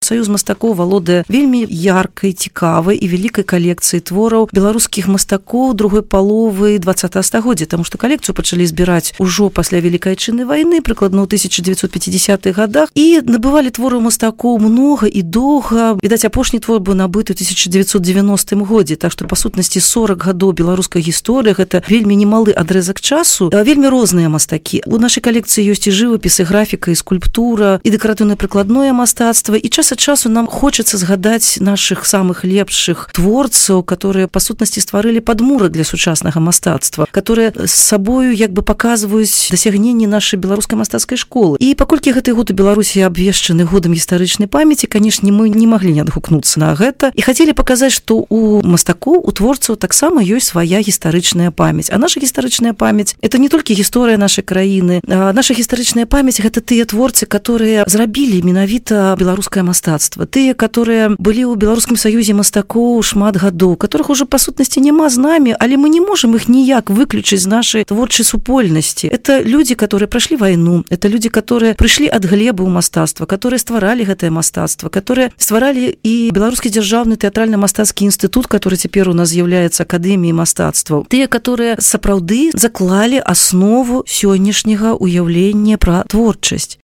Саюз мастакоў валодае вельмі яркай, цікавай і вялікай калекцыяй твораў беларускіх мастакоў другой паловы 20 стагоддзя, таму што калекцыю пачалі збіраць ужо пасля Вялікай Адчыннай вайны, прыкладна ў 1950-х годах, і набывалі творы мастакоў многа і доўга. Відаць, апошні твор быў набыты ў 1990 годзе, так што, па сутнасці, 40 гадоў беларускай гісторыі, гэта вельмі немалы адрэзак часу, вельмі розныя мастакі. У нашай калекцыі ёсць і жывапіс, і графіка, і скульптура, і дэкаратыўна-прыкладное мастацтва, і час ад часу нам хочацца згадаць нашых самых лепшых творцаў, которые, па сутнасці, стварылі падмурак для сучаснага мастацтва, которые з сабою як бы паказваюць дасягненні нашай беларускай мастацкай школы. І паколькі гэты год у Беларусі абвешчаны годам гістарычнай памяці, канешне, мы не маглі не адгукнуцца на гэта і хацелі паказаць, што у мастакоў, у творцаў таксама ёсць свая гістарычная памяць. А наша гістарычная памяць – это не толькі гісторыя нашай краіны. Наша гістарычная памяць – гэта тыя творцы, которые зрабілі менавіта беларускае мастацтва. Тыя, которые былі ў Беларускім саюзе мастакоў шмат гадоў, которых уже, па сутнасці, няма з намі, але мы не можам іх ніяк выключыць з нашай творчай супольнасці. Это люди, которые прошли войну, это люди, которые прыйшлі ад глебы ў мастацтва, которые стваралі гэтае мастацтва, которые стваралі і Беларускі дзяржаўны тэатральна-мастацкі інстытут, который цяпер у нас з'яўляецца акадэміяй мастацтваў. Тыя, которые сапраўды заклалі аснову сённяшняга уяўлення пра творчасць.